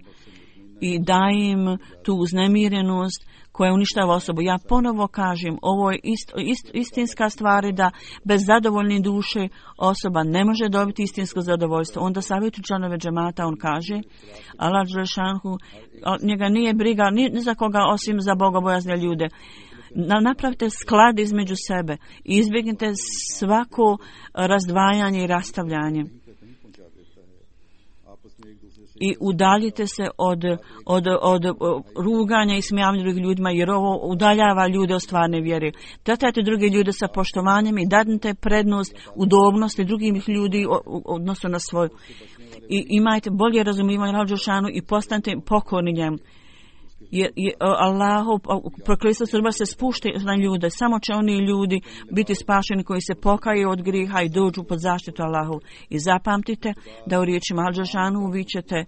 i daje im tu uznemirenost koja uništava osobu. Ja ponovo kažem, ovo je ist, ist, istinska stvar da bez zadovoljne duše osoba ne može dobiti istinsko zadovoljstvo. Onda savjetu članove džemata on kaže, Allah dželešanohu, njega nije briga ni, ni za koga osim za bogobojazne ljude. Napravite sklad između sebe i izbjegnite svako razdvajanje i rastavljanje. I udaljite se od, od, od, od ruganja i smijavanja drugih ljudima, jer ovo udaljava ljude od stvarne vjere. Tretajte druge ljude sa poštovanjem i dadnite prednost udobnosti drugih ljudi odnosno na svoju. I imajte bolje razumijevanje Allahu dželešanohu i postanite pokorni njemu. Jer Allahov prokletstvo sudba se spušta na ljude. Samo će oni ljudi biti spašeni koji se pokaju od griha i dođu pod zaštitu Allahov. I zapamtite da u riječima Allahu dželešanohu vi ćete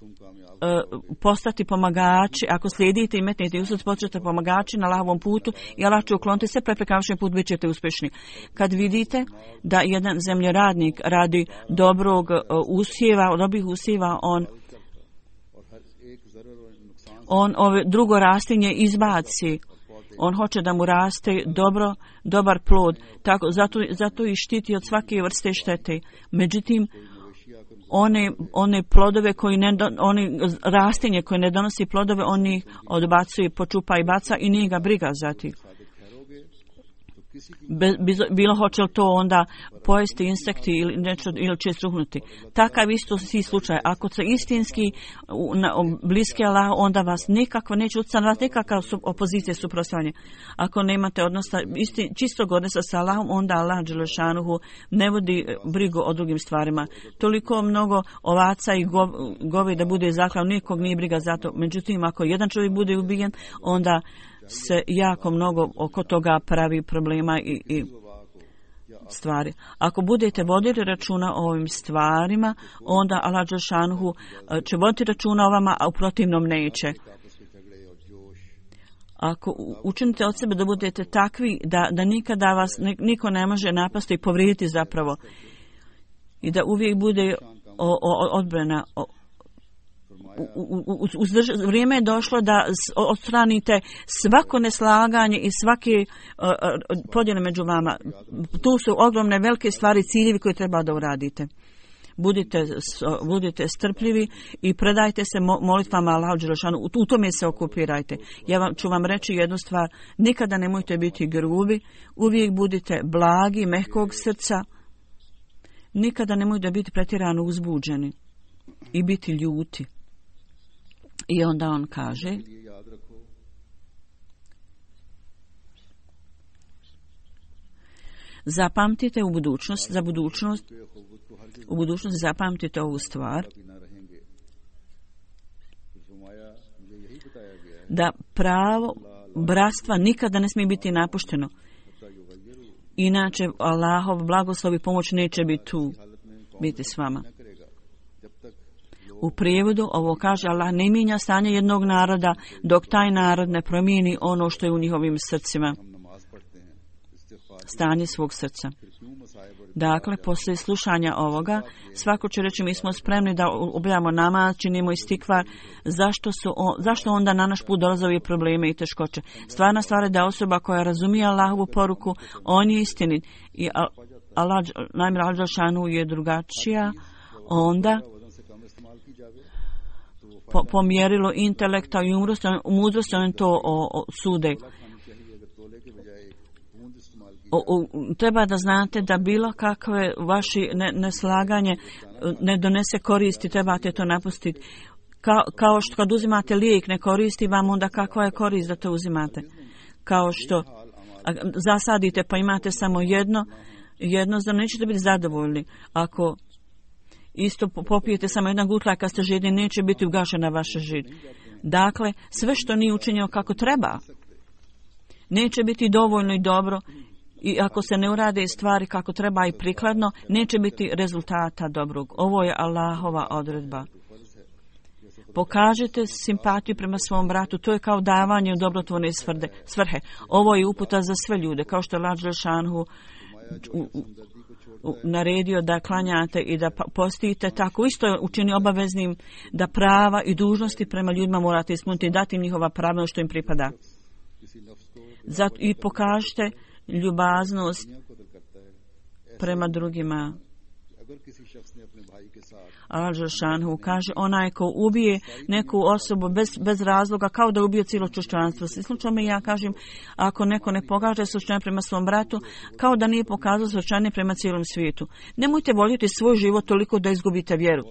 uh, postati pomagači. Ako slijedite i metnete i usud, počnete pomagači na Allahovom putu i Allah će ukloniti sve prepreke, vašem put bit ćete uspješni. Kad vidite da jedan zemljoradnik radi dobrog uh, usjeva, dobrih usjeva, on on ove drugo rastinje izbaci. On hoće da mu raste dobro, dobar plod. Tako, zato, zato i štiti od svake vrste štete. Međutim, one, one plodove koji ne, oni rastinje koje ne donosi plodove, oni odbacuje, počupa i baca i nije ga briga za tih. Be, bilo hoće li to onda pojesti insekti ili nešto, ili će struhnuti. Takav isto si slučaj. Ako se istinski na, bliski Allah, onda vas nikako neće utjecati na vas nikakav su, opozicije suprotstavljanje. Ako nemate odnosa isti, čistog odnosa sa Allahom, onda Allah dželešanuhu ne vodi brigu o drugim stvarima. Toliko mnogo ovaca i gov, govi da bude zaklav, nikog nije briga za to. Međutim, ako jedan čovjek bude ubijen, onda se jako mnogo oko toga pravi problema i, i stvari. Ako budete vodili računa o ovim stvarima, onda Allah dželešanohu će voditi računa o vama, a u protivnom neće. Ako učinite od sebe da budete takvi da, da nikada vas niko ne može napasti i povrijediti zapravo i da uvijek bude o, o, odbrana o, U, u, u, uzdrž, vrijeme je došlo da odstranite svako neslaganje i svake uh, uh, podjele među vama. Tu su ogromne velike stvari, ciljevi koje treba da uradite. Budite, budite strpljivi i predajte se molitvama Allahu dželešanohu. U tome se okupirajte. Ja vam, ću vam reći jednu stvar. Nikada nemojte biti grubi. Uvijek budite blagi, mehkog srca. Nikada nemojte biti pretjerano uzbuđeni i biti ljuti. I onda on kaže, zapamtite u budućnost, za budućnost, u budućnosti zapamtite ovu stvar, da pravo bratstva nikada ne smije biti napušteno. Inače, Allahov blagoslov i pomoć neće biti tu, biti s vama. U prijevodu ovo kaže, Allah ne mijenja stanje jednog naroda dok taj narod ne promijeni ono što je u njihovim srcima. Stanje svog srca. Dakle, poslije slušanja ovoga, svako će reći mi smo spremni da obavljamo namaz, činimo istikvar, zašto, su on, zašto onda na naš put dolaze ovi probleme i teškoće. Stvarna stvar je da osoba koja razumije Allahovu poruku, on je istinit i Allah, najmjer Al-Đelšanu je drugačija, onda po, po mjerilu intelekta i mudrosti on to o, o, sude. O, o, treba da znate da bilo kakve vaši ne, neslaganje ne donese koristi, trebate to napustiti. Kao, kao što kad uzimate lijek ne koristi vam, onda kakva je korist da to uzimate. Kao što zasadite pa imate samo jedno, jedno, zar nećete biti zadovoljni. Ako isto popijete samo jedan gutlaj kad ste žedni, neće biti ugašena vaša žid. Dakle, sve što nije učinjeno kako treba, neće biti dovoljno i dobro. I ako se ne urade stvari kako treba i prikladno, neće biti rezultata dobrog. Ovo je Allahova odredba. Pokažite simpatiju prema svom bratu, to je kao davanje u dobrotvorne svrhe. Ovo je uputa za sve ljude, kao što je Allah Đelešanu naredio da klanjate i da postite, tako isto je učini obaveznim da prava i dužnosti prema ljudima morate ispuniti i dati im njihova prava što im pripada. Zato i pokažite ljubaznost prema drugima. Allah Đelešanu kaže, onaj ko ubije neku osobu bez, bez razloga, kao da ubije cijelo čovječanstvo. Slučajno me ja kažem, ako neko ne pokaže suosjećanje prema svom bratu, kao da nije pokazao suosjećanje prema cijelom svijetu. Nemojte voljeti svoj život toliko da izgubite vjeru.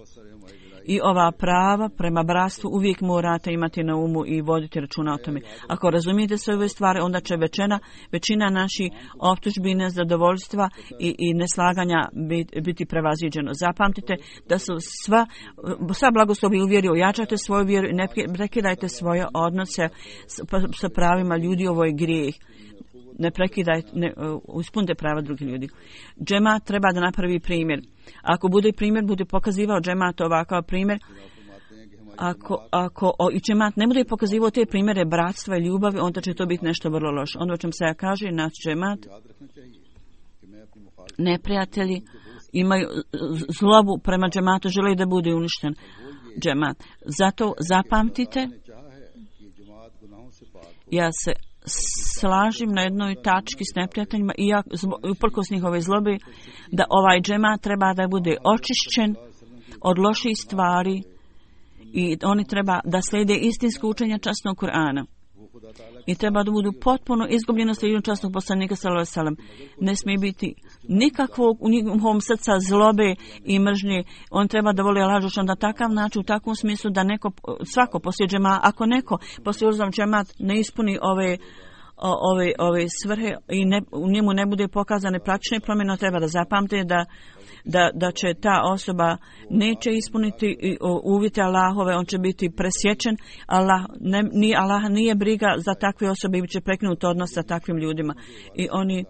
I ova prava prema bratstvu uvijek morate imati na umu i voditi računa o tome. Ako razumijete sve ove stvari, onda će većina, većina naših optužbi, nezadovoljstva i, i neslaganja biti, biti prevaziđeno. Zapamtite da su sva, sva blagoslovi u vjeri, ojačajte svoju vjeru i ne prekidajte svoje odnose sa pravima ljudi, ovo je grijeh. Ne prekidajte, ne, uh, ispunite prava drugih ljudi. Džemat treba da napravi primjer. Ako bude primjer, bude pokazivao džemat ovakav primjer. Ako, ako o, i džemat ne bude pokazivao te primjere bratstva i ljubavi, onda će to biti nešto vrlo loše. Onda o čem se ja kaže, naš džemat, neprijatelji imaju zlobu prema džematu, žele da bude uništen džemat. Zato zapamtite, ja se slažem na jednoj tački s neprijateljima i ja, uprkos njihove zlobe, da ovaj džemat treba da bude očišćen od loših stvari i oni treba da slijede istinsko učenje časnog Kur'ana. I treba da budu potpuno izgubljeno slijedom časnog poslanika sallallahu alejhi ve sellem. Ne smije biti nikakvog u njihovom srca zlobe i mržnje. On treba da voli Allah na takav način, u takvom smislu da neko, svako poslije džema, ako neko poslije uzam džemat ne ispuni ove ove ove svrhe i ne, u njemu ne bude pokazane praktične promjene, treba da zapamte da Da, da će ta osoba neće ispuniti uvjete Allahove, on će biti presječen. Allah, ne, ni, Allah nije briga za takve osobe i će prekinuti odnos sa takvim ljudima. I oni,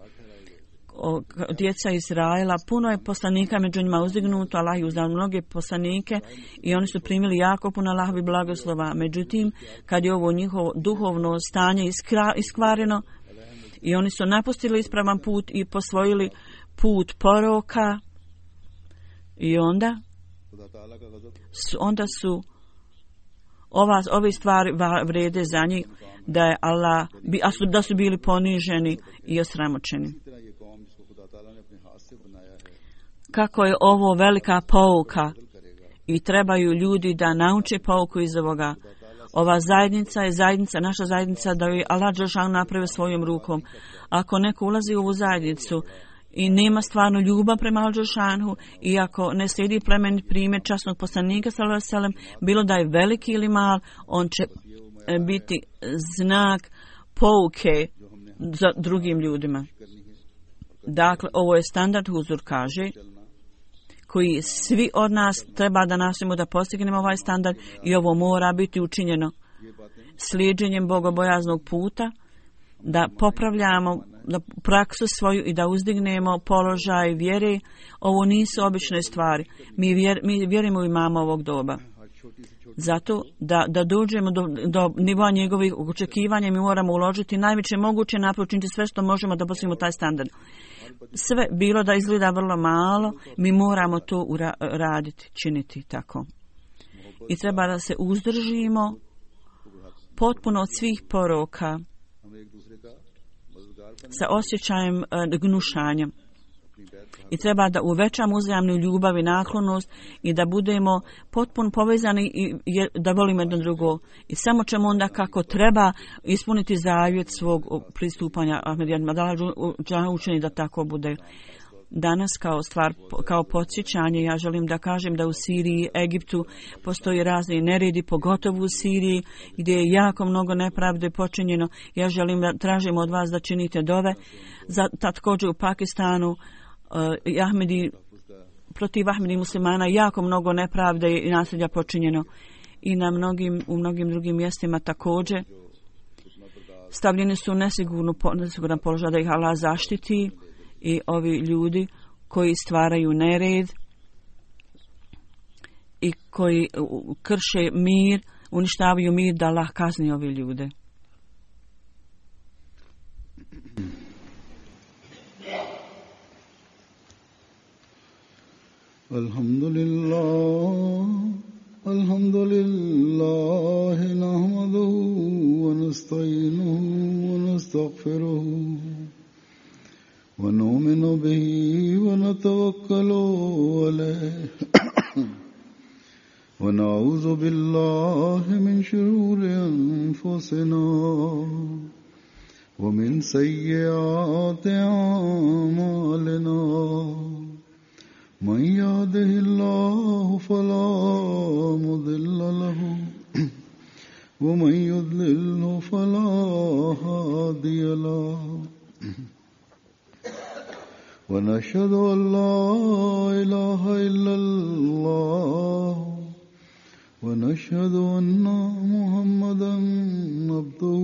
o, djeca Izraela, puno je poslanika među njima uzdignuto, Allah je uzdao mnoge poslanike i oni su primili jako puno Allahovi blagoslova. Međutim, kad je ovo njihovo duhovno stanje iskra, iskvareno i oni su napustili ispravan put i posvojili put poroka, i onda su, onda su ova, ove stvari vrede za njih da je Allah, a su, da su bili poniženi i osramoćeni. Kako je ovo velika pouka i trebaju ljudi da nauče pouku iz ovoga. Ova zajednica je zajednica, naša zajednica da je Allah Đelešanu napravio svojom rukom. Ako neko ulazi u ovu zajednicu i nema stvarno ljubav prema Al-Đelešanu i ako ne slijedi plemenit primjer časnog poslanika sallallahu alejhi ve sellem, bilo da je veliki ili mal, on će biti znak pouke za drugim ljudima. Dakle, ovo je standard, Huzur kaže, koji svi od nas treba da nastojimo da postignemo ovaj standard i ovo mora biti učinjeno slijedženjem bogobojaznog puta, da popravljamo da praksu svoju i da uzdignemo položaj vjere. Ovo nisu obične stvari. Mi, vjer, mi vjerujemo u imama ovog doba. Zato da, da dođemo do, do nivoa njegovih očekivanja mi moramo uložiti najveće moguće napore, učiniti sve što možemo da postignemo taj standard. sve bilo da izgleda vrlo malo, mi moramo to ura- raditi, činiti tako. I treba da se uzdržimo potpuno od svih poroka sa osjećajem uh, gnušanja. I treba da uvećamo uzajamnu ljubav i naklonost i da budemo potpuno povezani i da volimo jedno drugo. I samo ćemo onda kako treba ispuniti zavjet svog pristupanja Ahmedijama. Da li učini da tako bude. Danas kao stvar, kao podsjećanje, ja želim da kažem da u Siriji, Egiptu postoji razni neredi, pogotovo u Siriji gdje je jako mnogo nepravde počinjeno. Ja želim da tražim od vas da činite dove. Za, također u Pakistanu uh, Ahmedi, protiv Ahmedi muslimana jako mnogo nepravde i nasilja počinjeno. I na mnogim, u mnogim drugim mjestima također. Stavljeni su u nesigurnu, nesiguran položaj da ih Allah zaštiti. I ovi ljudi koji stvaraju nered i koji krše mir, uništavaju mir, da Allah kazni ove ljude. Alhamdulillah, alhamdulillah, nahmaduhu wa nasta'inuhu wa nastaghfiruhu. ونؤمن به ونتوكل عليه ونعوذ بالله من شرور أنفسنا ومن سيئات أعمالنا من يهده الله فلا مضل له ومن يضلل فلا هادي له ونشهد أن لا إله إلا الله ونشهد أن محمدا عبده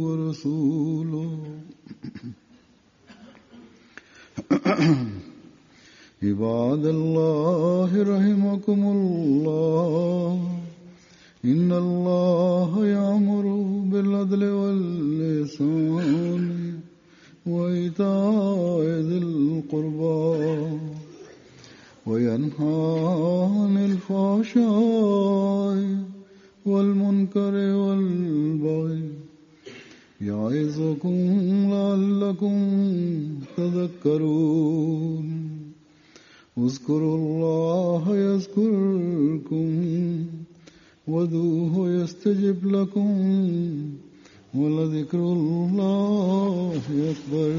ورسوله عباد الله رحمكم الله إن الله يأمر بالعدل والإحسان وإيتاء ذي القربى وينهى عن الفحشاء والمنكر والبغي يعظكم لعلكم تذكرون اذكروا الله يذكركم وادعوه يستجب لكم ولذكر الله أكبر.